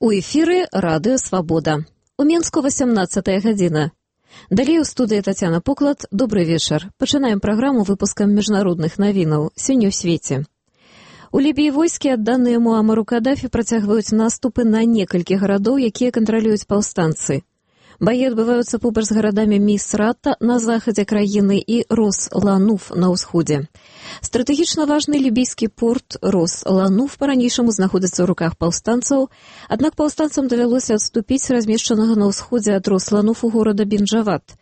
У эфіры радыё «Свабода». У Менску 18 гадзіна. Далей у студыі Тацяна Поклад. Добры вечар. Пачынаем праграму выпускам міжнародных навінаў. Сёння ў свеце. У Лібіі войскі, адданыя Муамару Кадафі, працягваюць наступы на некалькі гарадоў, якія кантралююць паўстанцы. Баі адбываюцца побач з гарадамі Місрата на захадзе краіны і Рос-Лануф на ўсходзе. Стратэгічна важны лібійскі порт Рос-Лануф па-ранейшаму знаходзіцца ў руках паўстанцаў, аднак паўстанцам давялося адступіць размешчанага на ўсходзе ад Рос-Лануфу горада Бенджават.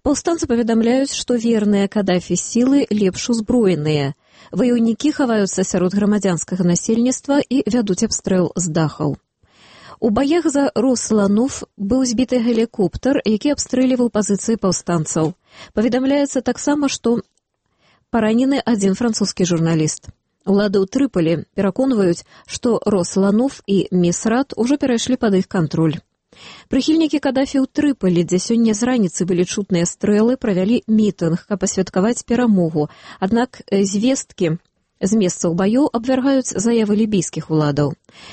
Паўстанцы паведамляюць, што верныя Кадафі сілы лепш узброеныя. Ваяўнікі хаваюцца сярод грамадзянскага насельніцтва і вядуць абстрэл з дахаў. У баях за Рос-Лануф быў збіты гелікоптер, які абстрэльваў пазіцыі паўстанцаў. Паведамляецца таксама, што паранены адзін французскі журналіст. Улады ў Трыполі пераконваюць, што Рос-Лануф і Місрат ужо перайшлі пад іх кантроль. Прыхільнікі Кадафі ў Трыполі, дзе сёння з раніцы былі чутныя стрэлы, правялі мітынг, каб пасвяткаваць перамогу. Аднак звесткі з месцаў баёў абвяргаюць заявы лібійскіх уладаў.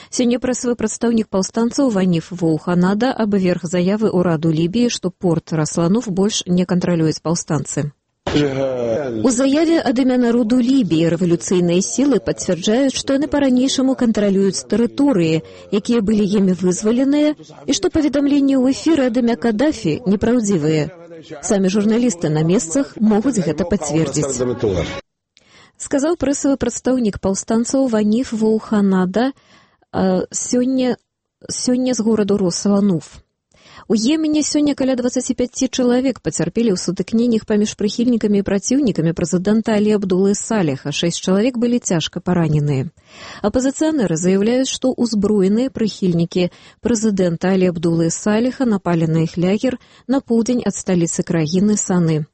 Сёння прэсавы прадстаўнік паўстанцаў Ваніф Воуханада абверг заявы ўраду Лібіі, што порт Рос-Лануф больш не кантралююць паўстанцы. У заяве ад імя народу Лібіі рэвалюцыйныя сілы пацвярджаюць, што яны па-ранейшаму кантралююць тэрыторыі, якія былі імі вызваленыя, і што паведамленні ў эфіры ад імя Кадафі непраўдзівыя. Самі журналісты на месцах могуць гэта пацвердзіць. Сказаў прэсавы прадстаўнік паўстанцаў Ваніф Воуханада сёння з гораду Рос-Лануф. У Йемене сёння каля 25 чалавек пацярпелі ў сутыкненнях паміж прыхільнікамі і праціўнікамі прэзідэнта Алі Абдулы Саліха. 6 чалавек былі цяжка параненыя. Апазіцыянеры заяўляюць, што ўзброеныя прыхільнікі прэзідэнта Алі Абдулы Саліха напалі на іх лагер на поўдзень ад сталіцы краіны Саны.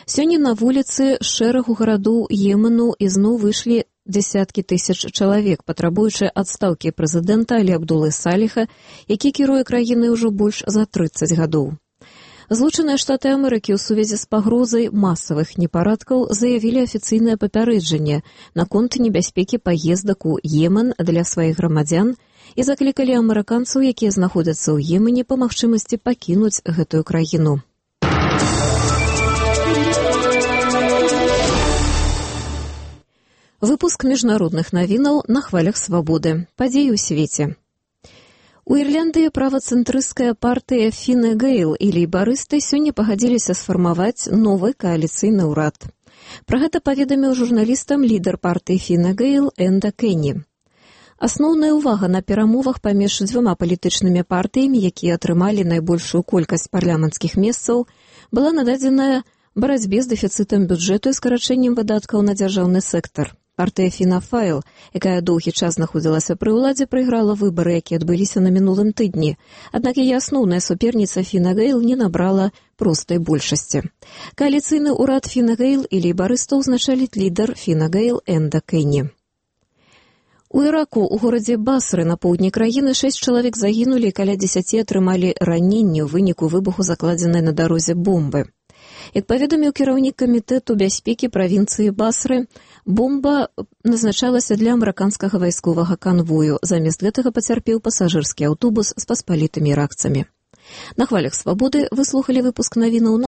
Сёння на вуліцы шэрагу гарадоў Йемену ізноў выйшлі дзесяткі тысяч чалавек, патрабуючы адстаўкі прэзідэнта Алі Абдулы Саліха, які кіруе краінай ужо больш за 30 гадоў. Злучаныя Штаты Амерыкі ў сувязі з пагрозай масавых непарадкаў заявілі афіцыйнае папярэджанне наконт небяспекі паездак у Йемен для сваіх грамадзян і заклікалі амерыканцаў, якія знаходзяцца ў Йемене, па магчымасці пакінуць гэтую краіну. Выпуск міжнародных навінаў на хвалях свабоды. Падзеі ў свеце. У Ірландыі правацэнтрысцкая партыя Фіне Гейл і лейбарысты сёння пагадзіліся сфармаваць новы кааліцыйны ўрад. Пра гэта паведаміў журналістам лідар партыі Фіне Гейл Энда Кенні. Асноўная ўвага на перамовах паміж дзвюма палітычнымі партыямі, якія атрымалі найбольшую колькасць парламенцкіх месцаў, была нададзеная барацьбе з дэфіцытам бюджэту і скарачэннем выдаткаў на дзяржаўны сектар. Партыя Фіна Файл, якая доўгі час знаходзілася пры ўладзе, прайграла выбары, якія адбыліся на мінулым тыдні. Аднак яе асноўная суперніца Фіна Гейл не набрала простай большасці. Кааліцыйны ўрад Фіна Гейл і лейбарыстаў узначаліць лідар Фіна Гейл Энда Кенні. У Іраку, у горадзе Басры на поўдні краіны 6 чалавек загінулі і каля 10 атрымалі раненні ў выніку выбуху закладзенай на дарозе бомбы. Як паведаміў кіраўнік камітэту бяспекі правінцыі Басры, бомба назначалася для амерыканскага вайсковага канвою. Замест гэтага пацярпеў пасажырскі аўтобус з паспалітымі іракцамі. На хвалях свабоды вы слухалі выпуск навінаў